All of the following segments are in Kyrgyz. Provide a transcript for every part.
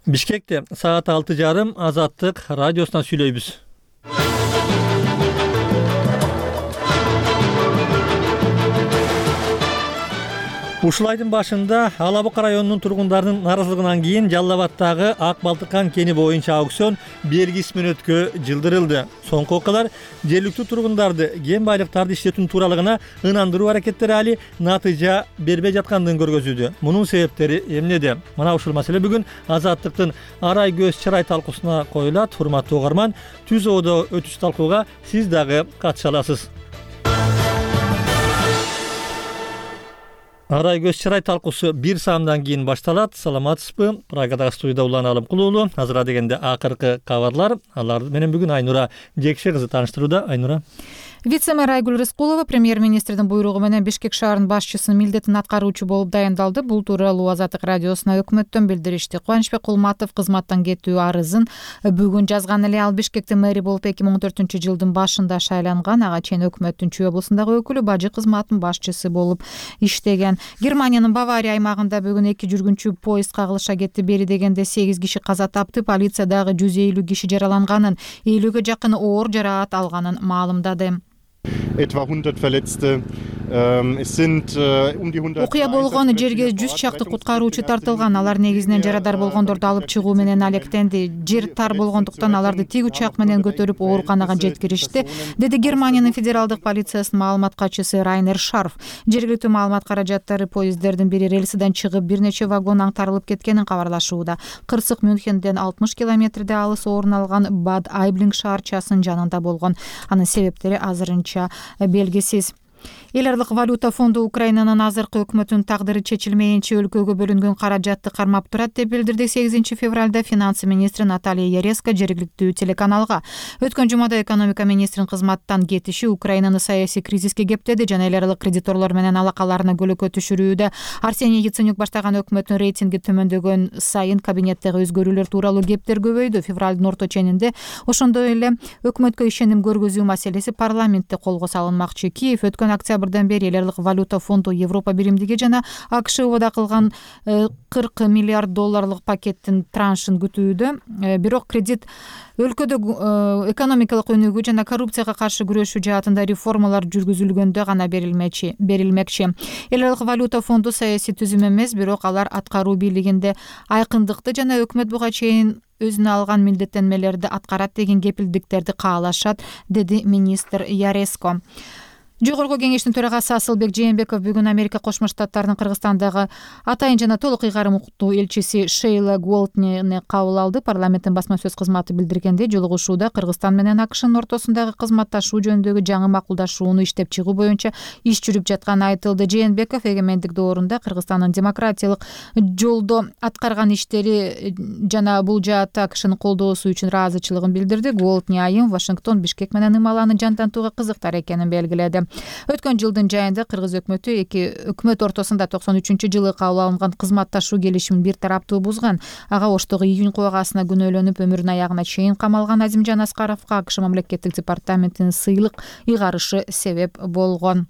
Бишкекте саат 6:30 Азаттык радиосунан сүйлөйбүз. Ушул айдын башында Ала Бука районунун тургундарынын наразылыгынан кийин Жалал Абаддагы Ак Балтыккан кени боюнча аукцион белгисиз мөөнөткө жылдырылды. Соңку окуялар жергиликтүү тургундарды кен байлыктарды иштетүүнүн тууралыгына ынандыруу аракеттери али натыйжа бербей жаткандыгын көргөзүүдө. Мунун себептери эмнеде? Мына ушул маселе бүгүн Азаттыктын арай көз чырай талкуусуна коюлат. Урматтуу угарман, түз оодо өтүш талкууга сиз дагы катыша аласыз. Арай көз чырай талкуусу 1 саамдан кийин башталат. Саламатсызбы? Прагадагы студияда Улан Алымкулуулу. Азыр дегенде акыркы кабарлар. Алар менен бүгүн Айнура Жекше кызы тааныштырууда. Айнура. Вице-мэр Айгүл Рыскулова премьер-министрдин буйругу менен Бишкек шаарынын башчысынын милдетин аткаруучу болуп дайындалды. Бул тууралуу Азаттык радиосуна өкмөттөн билдиришти. Кубанычбек Кулматов кызматтан кетүү арызын бүгүн жазган эле. Ал Бишкектин мэри болуп 2014-жылдын башында шайланган. Ага чейин өкмөттүн Чүй облусундагы өкүлү, бажы кызматынын башчысы болуп иштеген. Германиянын Бавария аймагында бүгүн 2 жүргүнчү поезд кагылыша кетти. Бери дегенде 8 киши каза тапты. Полиция дагы 150 киши жараланганын, 50ге жакын оор жараат алганын маалымдады. Etwa 100 Verletzte. Окуя болгон жерге 100 чакты куткаруучу тартылган. Алар негизинен жарадар болгондорду алып чыгуу менен алектенди. Жер тар болгондуктан аларды тик учак менен көтөрүп ооруканага жеткиришти, деди Германиянын федералдык полициясынын маалымат катчысы Райнер Шарф. Жергиликтүү маалымат каражаттары поезддердин бири рельсиден чыгып, бир нече вагон аңтарылып кеткенин кабарлашууда. Кырсык Мюнхенден 60 километрде алыс орун алган Бад Айблинг шаарчасынын жанында болгон. Анын себептери азырынча белгисиз. Эл аралык валюта фонду Украинанын азыркы өкмөтүнүн тагдыры чечилмейинче өлкөгө бөлүнгөн каражатты кармап турат деп билдирди. 8 февралда финансы министри Наталья Яреска жергиликтүү телеканалга. Өткөн жумада экономика министринин кызматтан кетиши Украинаны саясий кризиске кептеди жана эл аралык кредиторлор менен алакаларына көлөкө түшүрүүдө. Арсений Яценюк баштаган өкмөттүн рейтинги төмөндөгөн сайын кабинеттеги өзгөрүүлөр тууралуу кептер көбөйдү. Февралдын орто ченинде ошондой эле өкмөткө ишеним көргөзүү маселеси парламентте колго салынмакчы. Киев өткөн октябрдан бери эл аралык валюта фонду Европа биримдиги жана АКШ убада кылган 40 миллиард долларлык пакеттин траншын күтүүдө. Бирок кредит өлкөдө экономикалык өнүгүү жана коррупцияга каршы күрөшүү жаатында реформалар жүргүзүлгөндө гана берилмекчи. Эл аралык валюта фонду саясий түзүм эмес, бирок алар аткаруу бийлигинде айкындыкты жана өкмөт буга чейин өзүнө алган милдеттенмелерди аткарат деген кепилдиктерди каалашат, деди министр Яреско. Жогорку кеңештин төрагасы Асылбек Жээнбеков бүгүн Америка Кошмо Штаттарынын Кыргызстандагы атайын жана толук ыйгарым укуктуу элчиси Шейла Голтнени кабыл алды. Парламенттин басма сөз кызматы билдиргендей, жолугушууда Кыргызстан менен АКШнын ортосундагы кызматташуу жөнүндөгү жаңы макулдашууну иштеп чыгуу боюнча иш жүрүп жатканы айтылды. Жээнбеков эгемендик доорунда Кыргызстандын демократиялык жолдо аткарган иштери жана бул жаатта АКШнын колдоосу үчүн ыраазычылыгын билдирди. Голтни айым Вашингтон, Бишкек менен ымаланы жантантууга кызыктар экенин белгиледи. Өткөн жылдын жайында кыргыз өкмөтү эки өкмөт ортосунда 93-жылы кабыл алынган кызматташуу келишимин бир тараптуу бузган. Ага Оштогу июнь кубагасына күнөөлөнүп өмүрүнүн аягына чейин камалган Азимжан Аскаровго АКШ мамлекеттик департаментинин сыйлык ыйгарышы себеп болгон.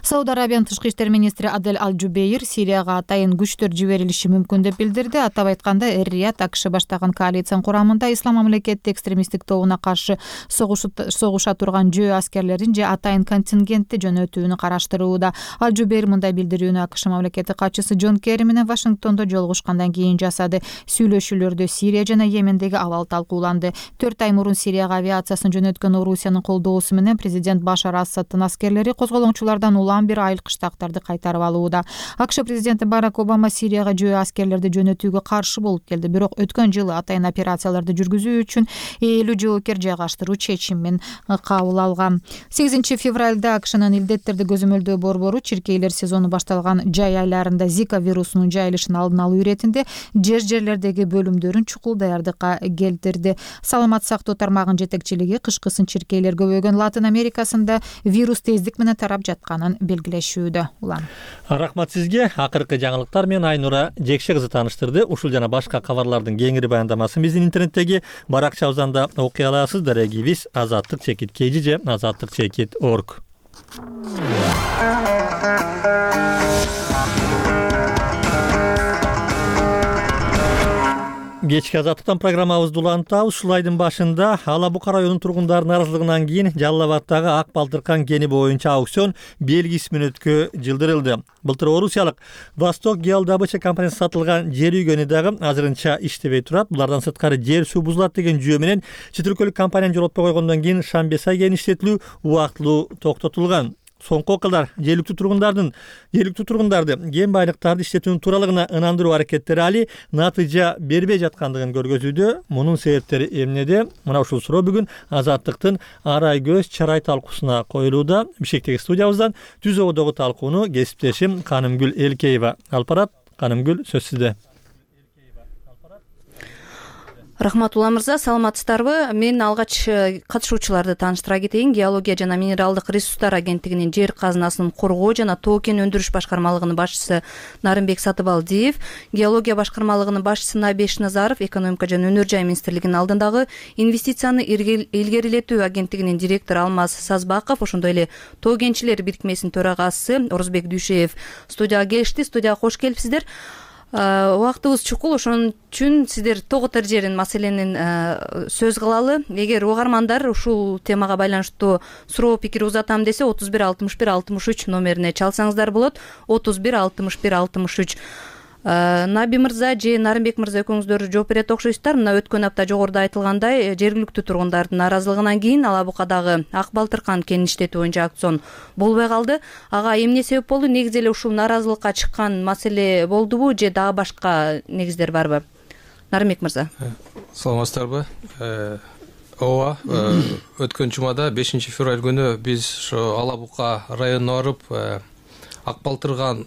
Сауд Арабиянын тышкы иштер министри Адель Аль-Джубейр Сирияга атайын күчтөр жиберилиши мүмкүн деп билдирди. Атап айтканда, Эр-Рияд АКШ баштаган коалициянын курамында Ислам мамлекети экстремисттик тобуна каршы согуша турган жөө аскерлерин же атайын контингентти жөнөтүүнү караштырууда. Аль-Джубейр мындай билдирүүнү АКШ мамлекети катчысы Джон Керри менен Вашингтондо жолугушкандан кийин жасады. Сүйлөшүүлөрдө Сирия жана Йемендеги абал талкууланды. 4 ай мурун Сирияга авиациясын жөнөткөн Орусиянын колдоосу менен президент Башар Асадтын аскерлери козголоңчулар улам бир айыл кыштактарды кайтарып алууда. АКШ президенти Барак Обама Сирияга жөө аскерлерди жөнөтүүгө каршы болуп келди. Бирок өткөн жылы атайын операцияларды жүргүзүү үчүн 50 жоокер жайгаштыруу чечимин кабыл алган. 8 февралда АКШнын илдеттерди көзөмөлдөө борбору чиркейлер сезону башталган жай айларында Зика вирусунун жайылышын алдын алуу иретинде жерлердеги бөлүмдөрүн чукул даярдыкка келтирди. Саламат сактоо тармагынын жетекчилиги кышкысын чиркейлер көбөйгөн Латын Америкасында вирус тездик менен тарап жатканын белгилешүүдө. Улан. Рахмат сизге. Акыркы жаңылыктар менен Айнура Жекше кызы тааныштырды. Ушул жана башка кабарлардын кеңири баяндамасын биздин интернеттеги баракчабыздан окуй аласыз. Дарегибиз azattik.kg же azattik.org. Кечки азаттыктан программабызды улантабыз. Ушул айдын башында Ала Бука районунун тургундарынын наразылыгынан кийин Жалал Абадтагы Ак Балтыркан кени боюнча аукцион белгисиз мүнөткө жылдырылды. Былтыр Орусиялык Восток геодобыча компаниясы сатылган жер үйгөнү дагы азырынча иштебей турат. Булардан сырткары жер суу бузулат деген жүйө менен чет өлкөлүк компанияны жолотпой койгондон кийин Шамбесай кенин иштетилүү убактылуу токтотулган. Соңку окуялар жергиликтүү тургундарды кен байлыктарды иштетүүнүн тууралыгына ынандыруу аракеттери али натыйжа бербей жаткандыгын көргөзүүдө. Мунун себептери эмнеде? Мына ушул суроо бүгүн Азаттыктын Арай көз чарай талкуусуна коюлууда. Бишкектеги студиябыздан түз ободогу талкууну кесиптешим Канымгүл Элкеева алып барат. Канымгүл, сөз сизде. Рахмат Ула мырза, саламатсыздарбы? Мен алгач катышуучуларды тааныштыра кетейин. Геология жана минералдык ресурстар агенттигинин жер казынасын коргоо жана тоо кен өндүрүш башкармалыгынын башчысы Нарымбек Сатыбалдиев, геология башкармалыгынын башчысы Набеш Назаров, экономика жана өнөр жай министрлигинин алдындагы инвестицияны илгерилетүү агенттигинин директору Алмаз Сазбаков, ошондой эле тоо кенчилер бирикмесинин төрагасы Орузбек Дүйшеев студияга келишти. Студияга кош келипсиздер. Убактыбыз чукул, ошон үчүн сиздер тоготор жерин маселенин сөз кылалы. Эгер угармандар ушул темага байланыштуу суроо пикир узатам десе 31 61 63 номерине чалсаңыздар болот. 31 61 63. Наби мырза же Нарымбек мырза экөөңүздөр жооп берет окшойсуздар. Мына өткөн апта жогоруда айтылгандай, жергиликтүү тургундардын наразылыгынан кийин Ала Букадагы Ак Балтыркан кенин иштетүү боюнча аукцион болбой калды. Ага эмне себеп болду? Негизи эле ушул наразылыкка чыккан маселе болдубу же дагы башка негиздер барбы? Нарымбек мырза. Саламатсыздарбы? Ооба, өткөн жумада 5 февраль күнү биз ошо Ала Бука районуна барып, Ак Балтыркан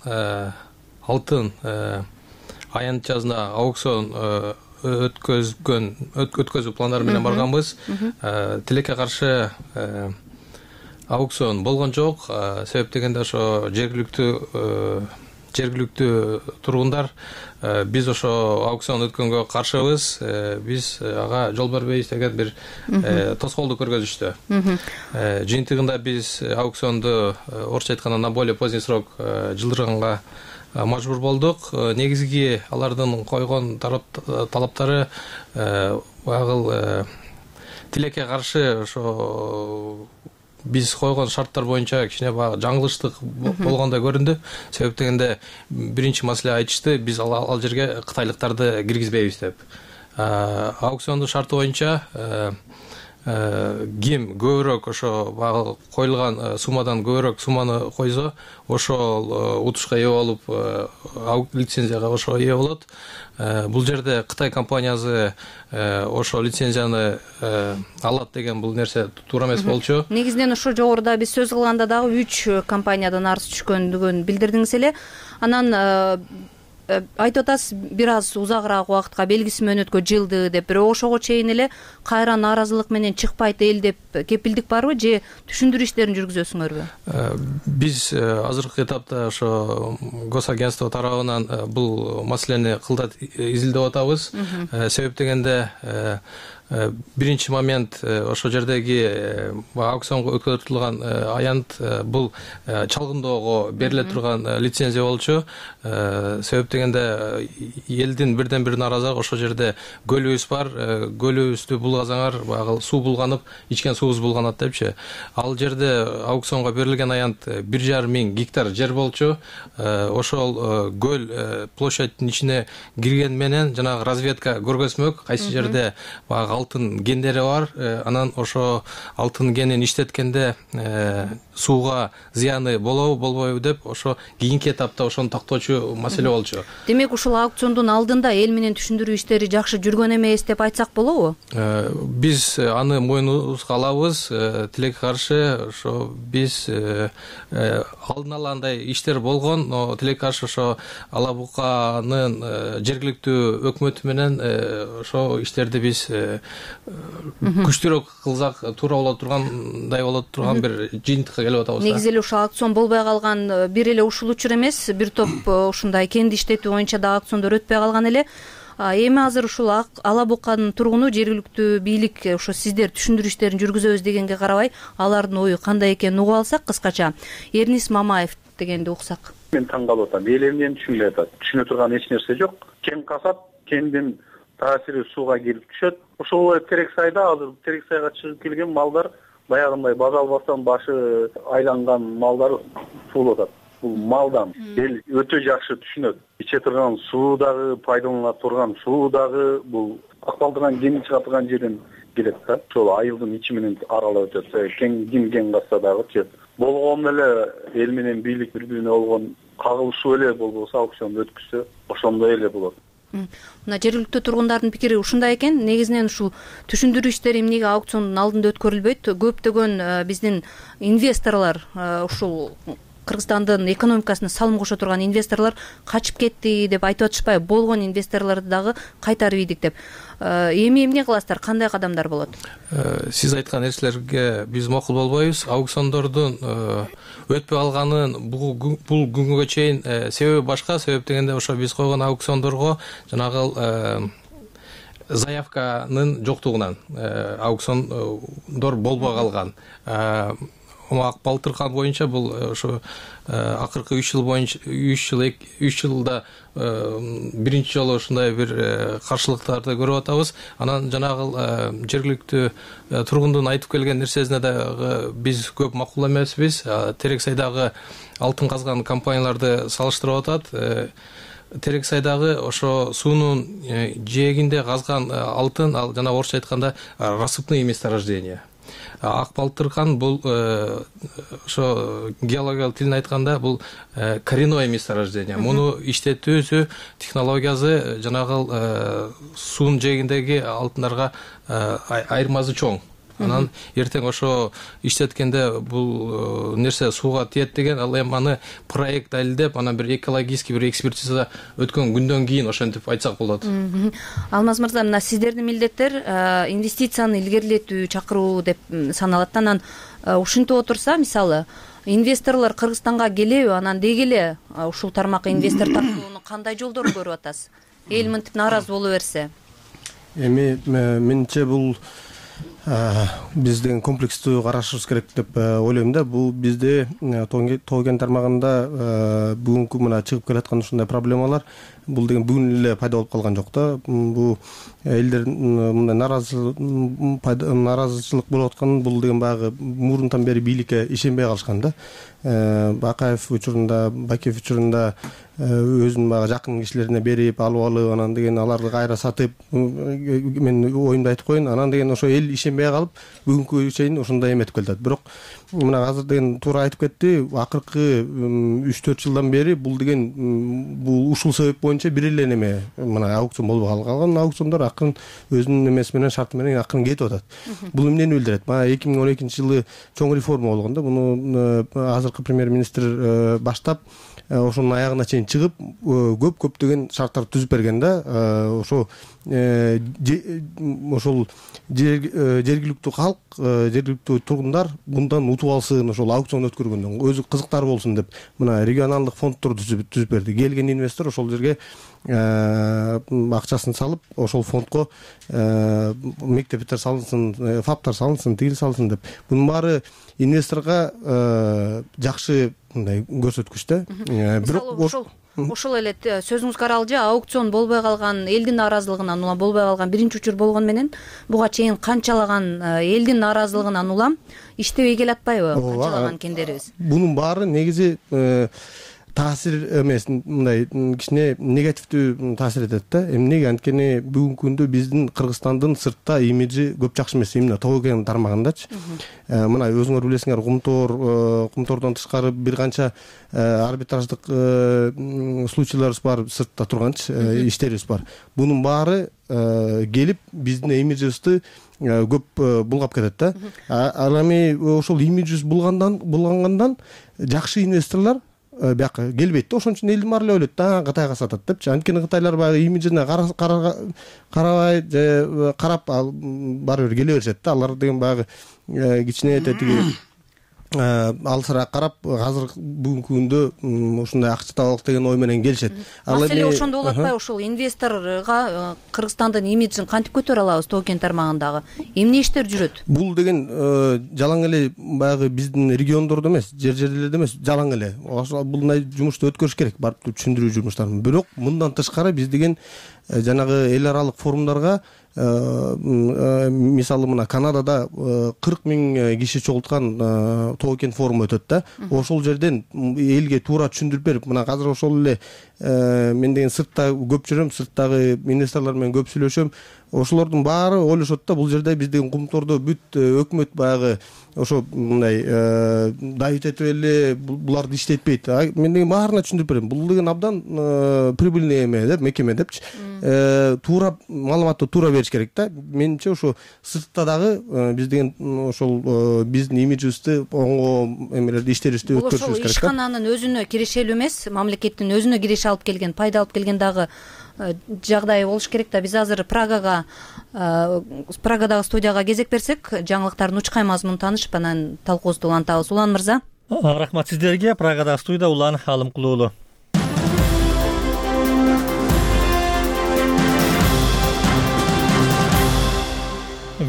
алтын аянтчасына аукцион өткөзүү пландары менен барганбыз. Тилекке каршы аукцион болгон жок. Себеп дегенде ошо жергиликтүү тургундар биз ошо аукцион өткөнгө каршыбыз, биз ага жол бербейбиз деген бир тоскоолдук көргөзүштү. Жыйынтыгында биз аукционду орусча айтканда на более поздний срок жылдырганга мажбур болдук. Негизги алардын койгон талаптары тилекке каршы ошо биз койгон шарттар боюнча кичине баягы жаңылыштык болгондой көрүндү. Себеп дегенде биринчи маселе айтышты, биз ал жерге кытайлыктарды киргизбейбиз деп. Аукциондун шарты боюнча ким көбүрөөк ошо баягы коюлган суммадан көбүрөөк сумманы койсо, ошол утушка ээ болуп, лицензияга ошо ээ болот. Бул жерде Кытай компаниясы ошо лицензияны алат деген бул нерсе туура эмес болчу. Негизинен ошо жогоруда биз сөз кылганда дагы 3 компаниядан арыз түшкөндүгүн билдирдиңиз эле. Анан айтып атасыз, бир аз узагыраак убакытка белгисиз мөөнөткө жылды деп, бирок ошого чейин эле кайра нааразылык менен чыкпайт эл деп кепилдик барбы же түшүндүрүү иштерин жүргүзөсүңөрбү? Биз азыркы этапта ошо госагентство тарабынан бул маселени кылдат изилдеп атабыз. Себеп дегенде биринчи момент ошо жердеги аукционго өткөрүлгөн аянт бул чалгындоого бериле турган лицензия болчу. Себеп дегенде элдин бирден бир наразылыгы ошо жерде көлүбүз бар, көлүбүздү булгазаңар, баягы суу булганып, ичкен суубуз булганат депчи. Ал жерде аукционго берилген аянт 1,5 миң гектар жер болчу. Ошол көл площадьтын ичине кирген менен жанагы разведка көргөзмөк, кайсы жерде баягы алтын кендери бар, анан ошо алтын кенин иштеткенде сууга зыяны болобу болбойбу деп ошо кийинки этапта ошону тактоочу маселе болчу. Демек ушул аукциондун алдында эл менен түшүндүрүү иштери жакшы жүргөн эмес деп айтсак болобу? Биз аны мойнубузга алабыз. Тилекке каршы ошо биз алдын ала андай иштер болгон, но тилекке каршы ошо Ала Буканын жергиликтүү өкмөтү менен ошо иштерди биз күчтүүрөөк кылсак туура боло тургандай боло турган бир жыйынтыкка келип атабыз. Негизи эле ушул аукцион болбой калган бир эле ушул учур эмес, бир топ ушундай кенди иштетүү боюнча да аукциондор өтпөй калган эле. Эми азыр ушул Ала Буканын тургуну жергиликтүү бийлик ошо сиздер түшүндүрүү иштерин жүргүзөбүз дегенге карабай, алардын ою кандай экенин угуп алсак, кыскача Эрнис Мамаев дегенди уксак. Мен таң калып атам. Эл эмнени түшүнбөй атат. Түшүнө турган эч нерсе жок. Кен казат, кендин таасири сууга келип түшөт. Ошол эле терек сайда азыр терек сайга чыгып келген малдар баягындай база албастан башы айланган малдар суулап атат. Бул малдан эл өтө жакшы түшүнөт. Иче турган суу дагы, пайдалана турган суу дагы бул ак балдырган кени чыга турган жерден келет да. Ошол айылдын ичи менен аралап өтөт. Кен касса дагы чет. Болгон эле эл менен бийлик бири-бирине болгон кагылышуу эле болбосо аукционду өткүзсө ошондой эле болот. Мына жергиликтүү тургундардын пикири ушундай экен. Негизинен ушул түшүндүрүү иштери эмнеге аукциондун алдында өткөрүлбөйт? Көптөгөн биздин инвесторлор ушул Кыргызстандын экономикасына салым кошо турган инвесторлор качып кетти деп айтып атышпайбы? Болгон инвесторлорду дагы кайтарып ийдик деп. Эми эмне кыласыздар? Кандай кадамдар болот? Сиз айткан нерселерге биз макул болбойбуз. Аукциондордун өтпөй алганын бул күнгө чейин себеби башка. Себеп дегенде ошо биз койгон аукциондорго жанагы заявканын жоктугунан аукциондор болбой калган. Ак Балтыркан боюнча бул ошо акыркы 3 жылда биринчи жолу ушундай бир каршылыктарды көрүп атабыз. Анан жанагы жергиликтүү тургундун айтып келген нерсесине дагы биз көп макул эмеспиз. Терек сайдагы алтын казган компанияларды салыштырып атат. Терек сайдагы ошо суунун жээгинде казган алтын, ал жана орусча айтканда рассыпные месторождения. Ак Балтыркан бул ошо геологиялык тилин айтканда бул коренное месторождение. Муну иштетүүсү технологиясы жанагы суунун жээгиндеги алтындарга айырмасы чоң. Анан эртең ошо иштеткенде бул нерсе сууга тиет деген, ал эми аны проект далилдеп, анан бир экологический бир экспертиза өткөн күндөн кийин ошентип айтсак болот. Алмаз мырза, мына сиздердин милдеттер инвестицияны илгерилетүү чакыруу деп саналат. Анан ушинтип отурса, мисалы, инвесторлор Кыргызстанга келеби, анан деги эле ушул тармакка инвестор тартууну кандай жолдорун көрүп атасыз? Эл мынтип нааразы боло берсе? Эми менимче бул бизден комплекстүү карашыбыз керек деп ойлойм да. Бул бизде тоо кен тармагында бүгүнкү мына чыгып келаткан ушундай проблемалар бул деген бүгүн эле пайда болуп калган жок да. Бул элдер мындай нааразычылык болуп аткан, бул деген баягы мурунтан бери бийликке ишенбей калышкан да. Бакаев учурунда, Бакиев учурунда өзүнүн баягы жакын кишилерине берип, алып, анан деген аларды кайра сатып, мен оюмду айтып коеюн, анан деген ошо эл ишенбей калып, бүгүнкү чейин ушундай эметип келатат. Бирок мына азыр деген туура айтып кетти, акыркы 3-4 жылдан бери бул деген бул ушул себеп боюнча бир эле неме, мына аукцион болбой калган. Аукциондор акырын өзүнүн эмеси менен, шарты менен акырын кетип атат. Бул эмнени билдирет? Мына 2012-жылы чоң реформа болгон да. Муну азыркы премьер-министр баштап, ошонун аягына чейин чыгып, көптөгөн шарттарды түзүп берген да. Ошо ошол жергиликтүү калк, жергиликтүү тургундар мындан утуп алсын, ошол аукцион өткөргөндөн өзү кызыктар болсун деп мына регионалдык фонддорду түзүп берди. Келген инвестор ошол жерге акчасын салып, ошол фондко мектептер салынсын, фаптар салынсын, тигил салынсын деп. Бунун баары инвесторго жакшы мындай көрсөткүч да. Бирок ошол эле сөзүңүзгө аралжы аукцион болбой калган, элдин нааразылыгынан улам болбой калган биринчи учур болгону менен буга чейин канчалаган элдин нааразылыгынан улам иштебей келатпайбы канчалаган кендерибиз? Бунун баары негизи таасир эмес, мындай кичине негативдүү таасир этет да. Эмнеге? Анткени бүгүнкү күндө биздин Кыргызстандын сыртта имиджи көп жакшы эмес, именно тоо кен тармагындачы. Мына өзүңөр билесиңер, Кумтордон тышкары бир канча арбитраждык случайларыбыз бар, сыртта турганчы иштерибиз бар. Бунун баары келип биздин имиджибизди көп булгап кетет да. Ал эми ошол имиджибиз булгангандан жакшы инвесторлор бияка келбейт да. Ошон үчүн элдин баары эле ойлойт да, Кытайга сатат депчи. Анткени кытайлар баягы имиджине карабай, карап баары бир келе беришет да. Алар деген баягы кичине тетиги алысыраак карап, азыр бүгүнкү күндө ушундай акча табалык деген ой менен келишет. Маселе ошондо болот атпайбы? Ошол инвесторго Кыргызстандын имиджин кантип көтөрө алабыз тоо кен тармагындагы? Эмне иштер жүрөт? Бул деген жалаң эле баягы биздин региондордо эмес, жерлерде эмес, жалаң эле. Бул жумушту өткөрүш керек, барып түшүндүрүү жумуштарын. Бирок мындан тышкары биз деген жанагы эл аралык форумдарга мисалы мына Канадада 40 000 киши чогулткан Тоо-Кен форуму өтөт да. Ошол жерден элге туура түшүндүрүп берип, мына азыр ошол эле мен деген сыртта көп жүрөм, сырттагы инвесторлор менен көп сүйлөшөм. Ошолордун баары ойлошот да, бул жерде биз деген Кумтордо бүт өкмөт баягы ошо мындай давить этип эле буларды иштетпейт. Мен деген баарына түшүндүрүп берем. Бул деген абдан прибыльный эме деп, мекеме депчи. Туура маалыматты туура бериш керек да. Менимче ошо сыртта дагы биз деген ошол биздин имиджибизди оңго эмелерди иштерибизди өткөрүшүбүз керек да. Ошол ишкананын өзүнө кирешелүү эмес, мамлекеттин өзүнө киреше алып келген, пайда алып келген дагы жагдай болуш керек да. Биз азыр Праgadагы студияга кезек берсек, жаңылыктардын учкай мазмунун таанышып, анан талкуубузду улантабыз. Улан мырза. Рахмат сиздерге. Праgadагы студияда Улан Алымкулуулу.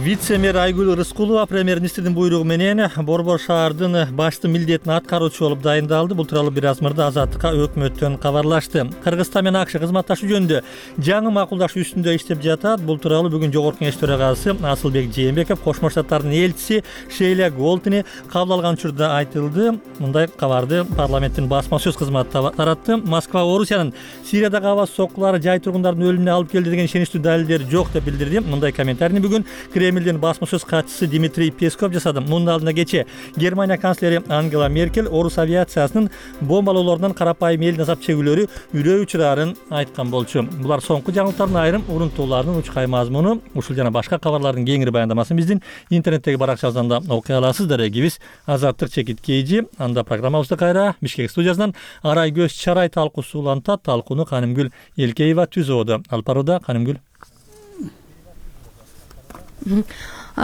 Вице-мэр Айгүл Рыскулова премьер-министрдин буйругу менен Борбор шаардын башчы милдетин аткаруучу болуп дайындалды. Бул тууралуу бир аз мурда Азаттыкка өкмөттөн кабарлашты. Кыргызстан менен АКШ кызматташуу жөнүндө жаңы макулдашуу үстүндө иштеп жатат. Бул тууралуу бүгүн Жогорку Кеңеш төрагасы Асылбек Жээнбеков Кошмо Штаттардын элчиси Шейла Голтини кабыл алган учурда айтылды. Мындай кабарды парламенттин басма сөз кызматы таратты. Москва Орусиянын Сириядагы аба соккулары жай тургундардын өлүмүнө алып келди деген ишеничтүү далилдер жок деп билдирди. Мындай комментарийни бүгүн Кремлдин басма сөз катчысы Дмитрий Песков жасады. Мунун алдында кечээ Германия канцлери Ангела Меркель орус авиациясынын бомбалоолорунан карапайым элдин азап чегүүлөрү үрөө учурарын айткан болчу. Булар соңку жаңылыктардын айрым урунтууларынын учкай мазмуну. Ушул жана башка кабарлардын кеңири баяндамасын биздин интернеттеги баракчабыздан да окуй аласыздар. Эгибиз Азаттык Чекит Кейжи. Анда программабызды кайра Бишкек студиясынан Арай Көз Чарай талкуусу улантат. Талкууну Канымгүл Элкеева түзүүдө. Алып барууда Канымгүл.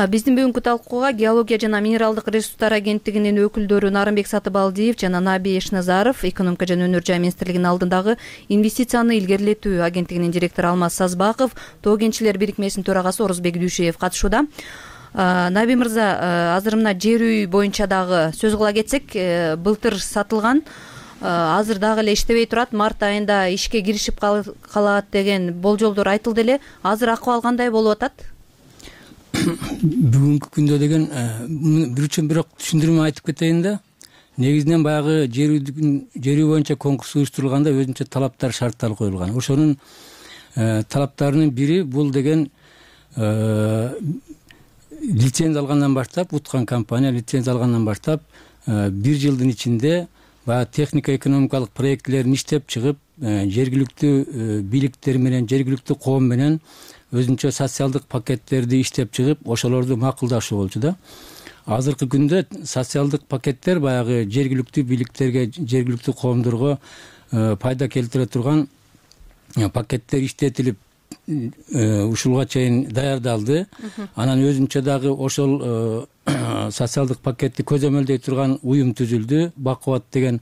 Биздин бүгүнкү талкууга Геология жана минералдык ресурстар агенттигинин өкүлдөрү Нарымбек Сатыбалдиев жана Наби Эшназаров, Экономика жана өнөр жай министрлигинин алдындагы инвестицияны илгерилетүү агенттигинин директору Алмаз Сазбаков, Тоо кенчилер бирикмесинин төрагасы Орузбек Дүйшеев катышууда. Наби мырза, азыр мына жер үй боюнча дагы сөз кыла кетсек, былтыр сатылган, азыр дагы эле иштебей турат, март айында ишке киришип калат деген болжолдор айтылды эле. Азыр акыбал кандай болуп атат? Бүгүнкү күндө деген бирок түшүндүрмө айтып кетейин да. Негизинен баягы жер үй боюнча конкурс уюштурулганда өзүнчө талаптар, шарттар коюлган. Ошонун талаптарынын бири бул деген лицензия алгандан баштап, уткан компания лицензия алгандан баштап 1 жылдын ичинде баягы технико-экономикалык проектилерин иштеп чыгып, жергиликтүү бийликтер менен, жергиликтүү коом менен өзүнчө социалдык пакеттерди иштеп чыгып, ошолорду макулдашуу болчу да. Азыркы күндө социалдык пакеттер баягы жергиликтүү бийликтерге, жергиликтүү коомдорго пайда келтире турган пакеттер иштетилип, ушулга чейин даярдалды. Анан өзүнчө дагы ошол социалдык пакетти көзөмөлдөй турган уюм түзүлдү, Бакубат деген.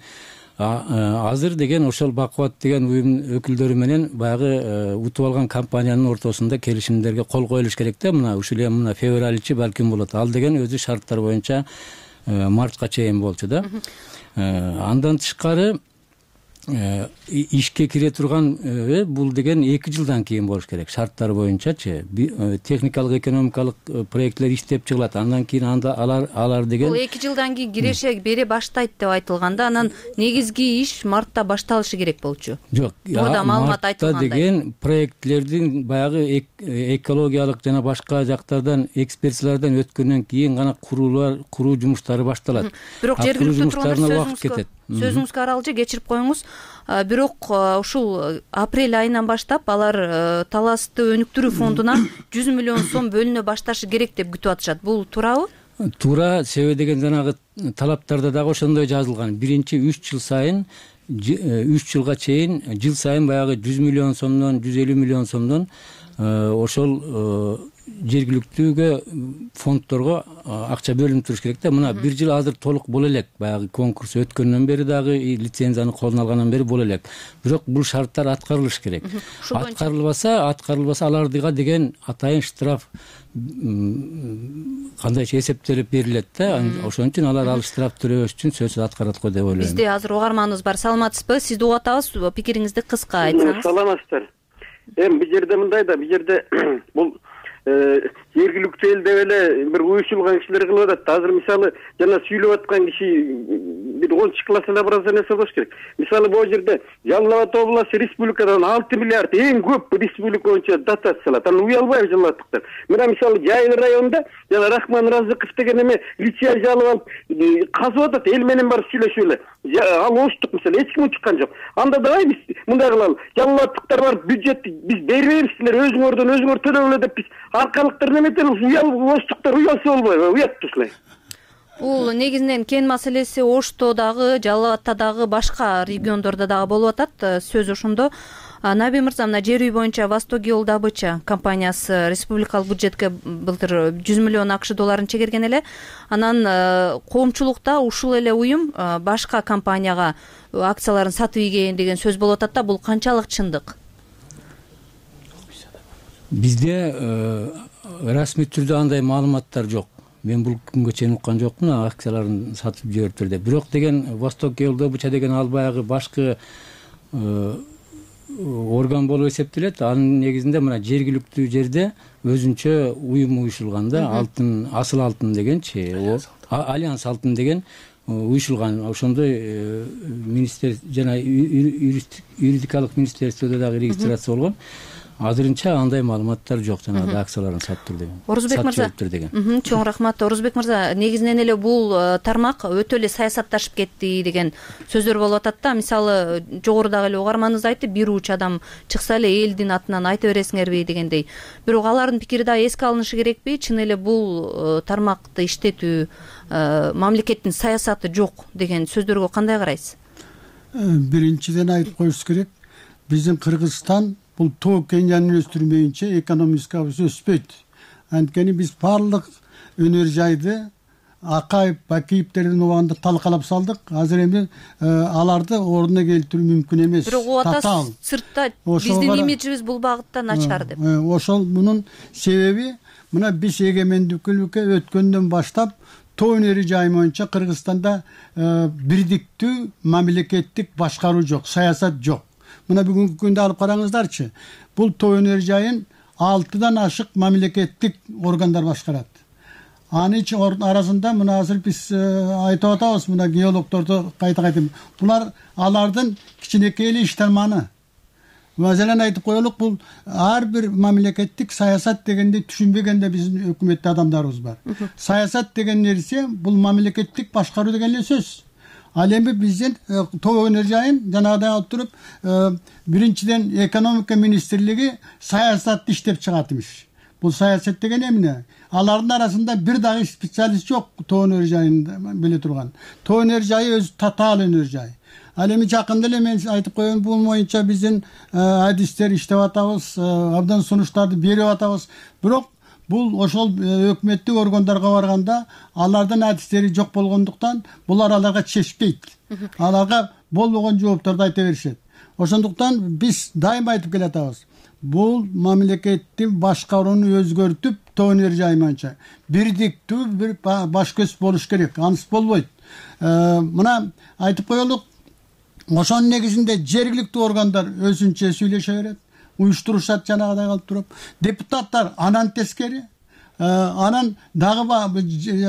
Азыр деген ошол Бакубат деген уюм өкүлдөрү менен баягы утуп алган компаниянын ортосунда келишимдерге кол коюлуш керек да. Мына ушул эми мына февраль-чи балким болот. Ал деген өзү шарттар боюнча мартка чейин болчу да. Андан тышкары ишке кире турган бул деген 2 жылдан кийин болуш керек. Шарттар боюнчачы техникалык, экономикалык проекттер иштеп чыгылат. Андан кийин алар деген бул 2 жылдан кийин киреше бере баштайт деп айтылганда, анан негизги иш мартта башталышы керек болчу. Жок, мурда маалымат айтылгандай. Деген проектлердин баягы экологиялык жана башка жактардан экспертиялардан өткөндөн кийин гана куруу жумуштары башталат. Бирок жергиликтүү тургундар сөзүңүзгө аралжы кечирип коюңуз. Бирок ушул апрель айынан баштап алар таласты өнүктүрүү фондуна 100 миллион сом бөлүнө башташы керек деп күтүп атышат. Бул туурабы? Туура, себеби деген жанагы талаптарда дагы ошондой жазылган. Биринчи 3 жыл сайын 3 жылга чейин жыл сайын баягы 100 миллион сомдон 150 миллион сомдон ошол жергиликтүүгө фонддорго акча бөлүнүп туруш керек да. Мына 1 жыл азыр толук боло элек. Баягы конкурс өткөндөн бери дагы лицензияны колуна алгандан бери боло элек. Бирок бул шарттар аткарылыш керек. Аткарылбаса алардыга деген атайын штраф кандайча эсептелип берилет да. Ошон үчүн алар ал штраф төлөбөш үчүн сөзсүз аткарат го деп ойлойм. Бизде азыр угарманыбыз бар. Саламатсызбы? Сизди угуп атабыз. Пикириңизди кыска айтсаңыз. Саламатсыздар. Эми бул жерде мындай да, бул жерде бул жергиликтүү эл деп эле бир уюшулган кишилер кылып атат. Азыр мисалы жана сүйлөп аткан киши бир 10 классына барса нерсе болуш керек. Мисалы бул жерде Жалал Абад областы республикадан 6 миллиард эң көп республика боюнча дотация алат. Аны уялбайбы Жалал Абадтыктар? Мына мисалы Жайыл районунда жана Рахман Разыков деген эме лицензия алып алып казып атат, эл менен барып сүйлөшүп эле. Ал оштук мисалы эч ким чыккан жок. Анда давай биз мындай кылалы. Жалал Абадтыктар бар бюджетти биз бербейбиз, силер өзүңөрдөн өзүңөр төлөп эле деп биз аркалыктар неметелиз, оштуктар уялса болбойбу? Уят ушулай. Бул негизинен кен маселеси Ошто дагы, Жалал Абадта дагы, башка региондордо дагы болуп атат. Сөз ошондо. Наби мырза, мына жер үй боюнча Восток добыча компаниясы республикалык бюджетке былтыр 100 миллион АКШ долларын чегерген эле. Анан коомчулукта ушул эле уюм башка компанияга акцияларын сатып ийген деген сөз болуп атат да, бул канчалык чындык? Бизде расмий түрдө андай маалыматтар жок. Мен бул күнгө чейин уккан жокмун, акцияларын сатып жибериптир деп. Бирок деген Восток добыча деген ал баягы башкы орган болуп эсептелет. Анын негизинде мына жергиликтүү жерде өзүнчө уюм уюшулган да, алтын, асыл алтын дегенчи, Альянс алтын деген уюшулган. Ошондой министр жана юридикалык министерстводо дагы регистрация болгон. Азырынча андай маалыматтар жок, жанагы акцияларын саттыр деген. Орузбек мырза, чоң рахмат. Орузбек мырза, негизинен эле бул тармак өтө эле саясатташып кетти деген сөздөр болуп атат да. Мисалы, жогорудагы эле угарманыбыз айтты, бир уч адам чыкса эле элдин атынан айта бересиңерби дегендей. Бирок алардын пикири да эске алынышы керекпи? Чын эле бул тармакты иштетүү мамлекеттин саясаты жок деген сөздөргө кандай карайсыз? Биринчиден айтып коюш керек, биздин Кыргызстан бул тоо кен өстүрмөйүнчө экономикабыз өспөйт. Анткени биз баардык өнөр жайды Акаев, Бакиевтердин убагында талкалап салдык. Азыр эми аларды ордуна келтирүү мүмкүн эмес. Бирок ата сыртта биздин имиджибиз бул багытта начар деп. Ошол мунун себеби мына биз эгемендикке өткөндөн баштап тоо өнөрү жайы боюнча Кыргызстанда бирдиктүү мамлекеттик башкаруу жок, саясат жок. Мына бүгүнкү күндө алып караңыздарчы. Бул тоо өнөр жайын 6дан ашык мамлекеттик органдар башкарат. Анын арасында мына азыр биз айтып атабыз, мына геологдорду кайта-кайта. Булар алардын кичинекей эле иштарманы. Маселен айтып коелук, бул ар бир мамлекеттик саясат дегенди түшүнбөгөндө биздин өкмөттө адамдарыбыз бар. Саясат деген нерсе бул мамлекеттик башкаруу деген эле сөз. Ал эми биздин тоо өнөр жайын жанагыдай алып туруп, биринчиден экономика министрлиги саясатты иштеп чыгат имиш. Бул саясат деген эмне? Алардын арасында бир дагы специалист жок тоо өнөр жайында биле турган. Тоо өнөр жайы өзү татаал өнөр жай. Ал эми жакында эле мен айтып коеюн, бул боюнча биздин адистер иштеп атабыз, абдан сунуштарды берип атабыз. Бирок бул ошол өкмөттүк органдарга барганда алардын адистери жок болгондуктан булар аларга чечпейт. Аларга болбогон жоопторду айта беришет. Ошондуктан биз дайыма айтып келатабыз. Бул мамлекеттин башкарууну өзгөртүп, тоо өнөр жайы боюнча бирдиктүү бир баш көз болуш керек. Анысы болбойт. Мына айтып коелук, ошонун негизинде жергиликтүү органдар өзүнчө сүйлөшө берет, уюштурушат жанагыдай калып туруп. Депутаттар анан тескери, анан дагы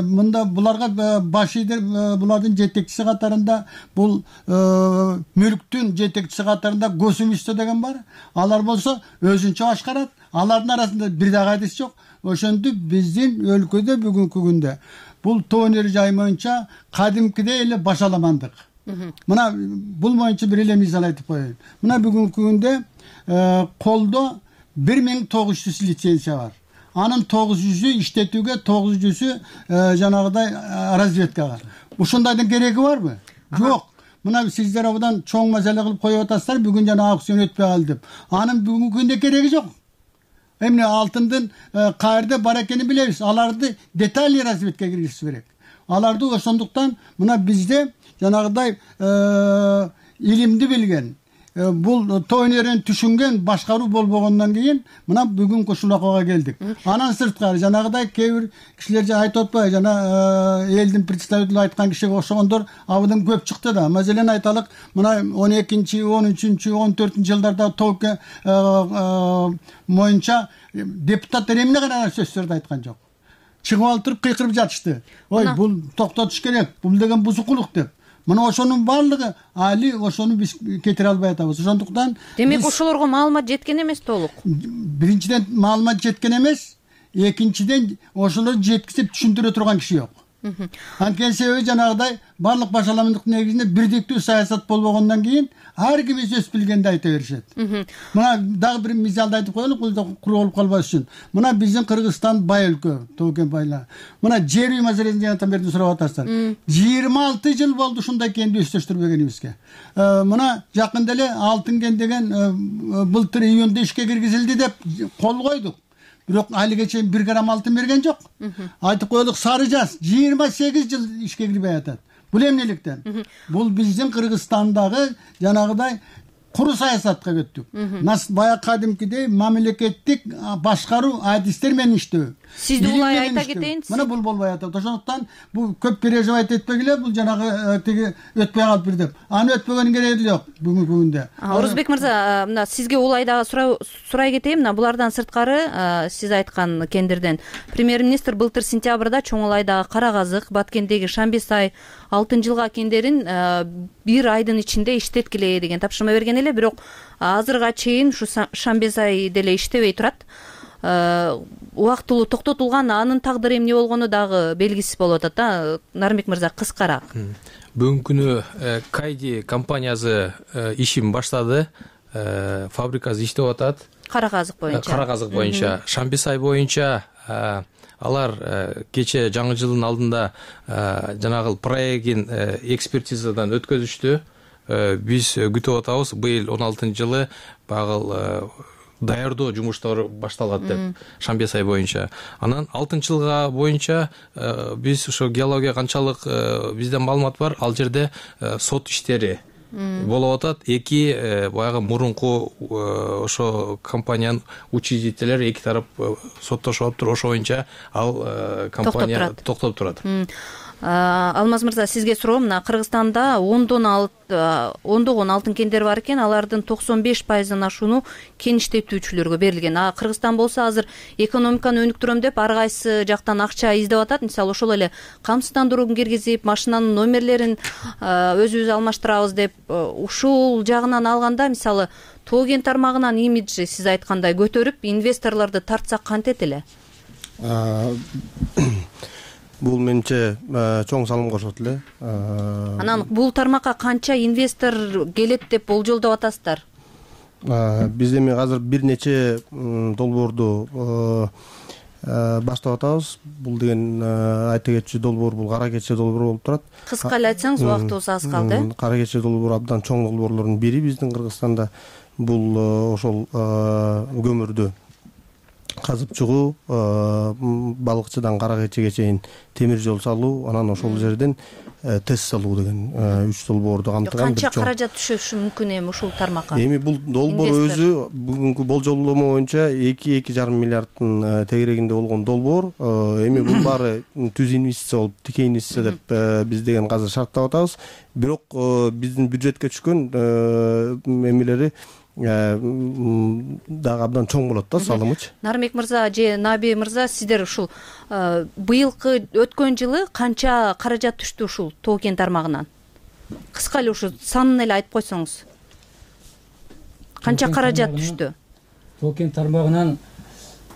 мында буларга баш ийдер, булардын жетекчиси катарында, бул мүлктүн жетекчиси катарында Госимущество деген бар. Алар болсо өзүнчө башкарат. Алардын арасында бир дагы адис жок. Ошентип биздин өлкөдө бүгүнкү күндө бул тоо өнөр жайы боюнча кадимкидей эле башаламандык. Мына бул боюнча бир эле мисал айтып коеюн. Мына бүгүнкү күндө колдо 1900 лицензия бар. Анын 900-ü иштетүүгө, 900-ü жанагыдай разведкага. Ушундайдын кереги барбы? Жок. Мына сиздер абдан чоң маселе кылып коюп атасыздар, бүгүн жана аукцион өтпөй калды деп. Анын бүгүнкү күндө кереги жок. Эмне алтындын каерде бар экенин билебиз. Аларды детальный разведка киргизиш керек. Аларды ошондуктан мына бизде жанагыдай илимди билген, бул тоо өнөрүн түшүнгөн башкаруу болбогондон кийин мына бүгүнкү ушул акыбага келдик. Анан сырткары жанагыдай кээ бир кишилер айтып атпайбы, жана элдин представители айткан кишиге окшогондор абдан көп чыкты да. Маселен айталык, мына 12-13, 14 жылдарда тоо моюнча депутаттар эмне гана сөздөрдү айткан жок. Чыгып алып туруп кыйкырып жатышты. Ой, бул токтотуш керек, бул деген бузукулук деп. Мына ошонун баардыгы али ошону биз кетире албай атабыз. Ошондуктан демек ошолорго маалымат жеткен эмес толук. Биринчиден маалымат жеткен эмес, экинчиден ошолорду жеткизип түшүндүрө турган киши жок. Анткени себеби жанагыдай барлык башаламдыктын негизинде бирдиктүү саясат болбогондон кийин ар ким өз билгенди айта беришет. Мына дагы бир мисалды айтып коелу, бул да куру болуп калбаш үчүн. Мына биздин Кыргызстан бай өлкө, тоо-кен байлар. Мына жер үй маселесин жанатан берди сурап атасыздар. 26 жыл болду ушундай кенди өстөштүрбөгөнүбүзгө. Мына жакында эле Алтын кен деген былтыр июнда ишке киргизилди деп кол койдук. Бирок алиге чейин 1 грамм алтын берген жок. Айтып коелук, Сары Жаз 28 жыл ишке кирбей атат. Бул эмнеликтен? Бул биздин Кыргызстандагы жанагыдай куру саясатка өттүк. Баягы кадимкидей мамлекеттик башкаруу адистер менен иштөө. Сизди улай айта кетейин. Мына бул болбой атат. Ошондуктан бул көп переживать этпегиле, бул жанагы тиги өтпөй калып бир деп. Аны өтпөгөнүн кереги жок бүгүнкү күндө. Орузбек мырза, мына сизге улай дагы сурай кетейин. Мына булардан сырткары сиз айткан кендерден премьер-министр былтыр сентябрда Чоң Улайдагы Кара Казык, Баткендеги Шамбесай, Алтын Жылга кендерин 1 айдын ичинде иштеткиле деген тапшырма берген эле, бирок азырга чейин ушу Шамбесай деле иштебей турат. Убактылуу токтотулган, анын тагдыры эмне болгону дагы белгисиз болуп атат да. Нарымбек мырза, кыскараак. Бүгүнкү күнү Кайди компаниясы ишин баштады, фабрикасы иштеп атат. Кара Казык боюнча. Шамбесай боюнча алар кече жаңы жылдын алдында жанагы проектин экспертизадан өткөзүштү. Биз күтүп атабыз, быйыл 16-жылы багыл даярдоо жумуштары башталат деп, Шамбесай боюнча. Анан Алтын Жылга боюнча биз ошо геология канчалык бизден маалымат бар, ал жерде сот иштери болуп атат. Эки баягы мурунку ошо компаниянын учредителери эки тарап соттошуп атыптыр, ошо боюнча ал компания токтоп турат. Алмаз мырза, сизге суроом, мына Кыргызстанда ондогон алтын кендер бар экен, алардын 95%-ын ашууну кен иштетүүчүлөргө берилген. Кыргызстан болсо азыр экономиканы өнүктүрөм деп ар кайсы жактан акча издеп атат. Мисалы ошол эле камсыздандырууну киргизип, машинанын номерлерин өзүбүз алмаштырабыз деп, ушул жагынан алганда, мисалы тоо кен тармагынын имиджи сиз айткандай көтөрүп, инвесторлорду тартсак кантет эле? Бул менче чоң салым кошот эле. Анан бул тармакка канча инвестор келет деп болжолдоп атасыздар? Биз эми азыр бир нече долбоорду баштап атабыз. Бул деген айта кетчү долбоор, бул кара кече долбоор болуп турат. Кыска эле айтсаңыз, убактыбыз аз калды. Кара кече долбоор абдан чоң долбоорлордун бири биздин Кыргызстанда. Бул ошол көмүрдү казып чыгуу, балыкчыдан кара кечеге чейин темир жол салуу, анан ошол жерден тест салуу деген 3 долбоорду камтыган. Канча каражат түшөшү мүмкүн эми ушул тармакка? Эми бул долбоор өзү бүгүнкү болжолдомо боюнча 2-2,5 миллиардтын тегерегинде болгон долбоор. Эми бул баары түз инвестиция болуп, тикей инвестиция деп биз деген азыр шарттап атабыз. Бирок биздин бюджетке түшкөн эмелери дагы абдан чоң болот да, салымычы. Нарымбек мырза же Наби мырза, сиздер ушул быйылкы өткөн жылы канча каражат түштү ушул тоо кен тармагынан? Кыска эле ушу санын эле айтып койсоңуз. Канча каражат түштү? Тоо кен тармагынан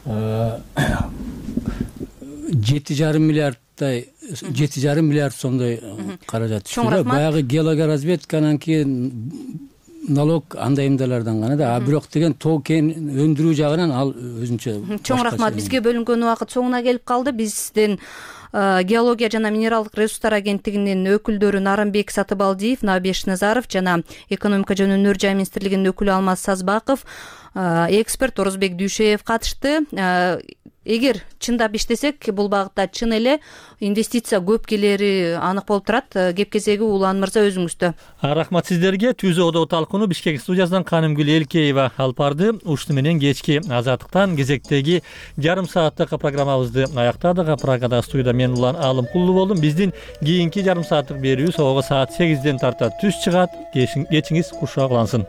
7,5 миллиардтай 7,5 миллиард сомдой каражат түштү. Баягы геология разведканан кийин налог андай эмделерден гана да, бирок деген тоо кен өндүрүү жагынан ал өзүнчө. Чоң рахмат. Бизге бөлүнгөн убакыт соңуна келип калды. Бизден геология жана минералдык ресурстар агенттигинин өкүлдөрү Нарымбек Сатыбалдиев, Набеш Назаров жана экономика жана өнөр жай министрлигинин өкүлү Алмаз Сазбаков, эксперт Орузбек Дүйшеев катышты. эгер чындап иштесек бул багытта чын эле инвестиция көп келери анык болуп турат. Кеп кезеги Улан мырза өзүңүздө. Рахмат сиздерге. Түз Одо талкууну Бишкек студиясынан Канымгүл Элкеева алып барды. Ушуну менен кечки Азаттыктан кезектеги жарым сааттык программабызды аяктадык. Прагада студияда мен Улан Алымкулов болдум. Биздин кийинки жарым сааттык берүүбүз саат 8ден тарта түз чыгат. Кечиңиз куршак улансын.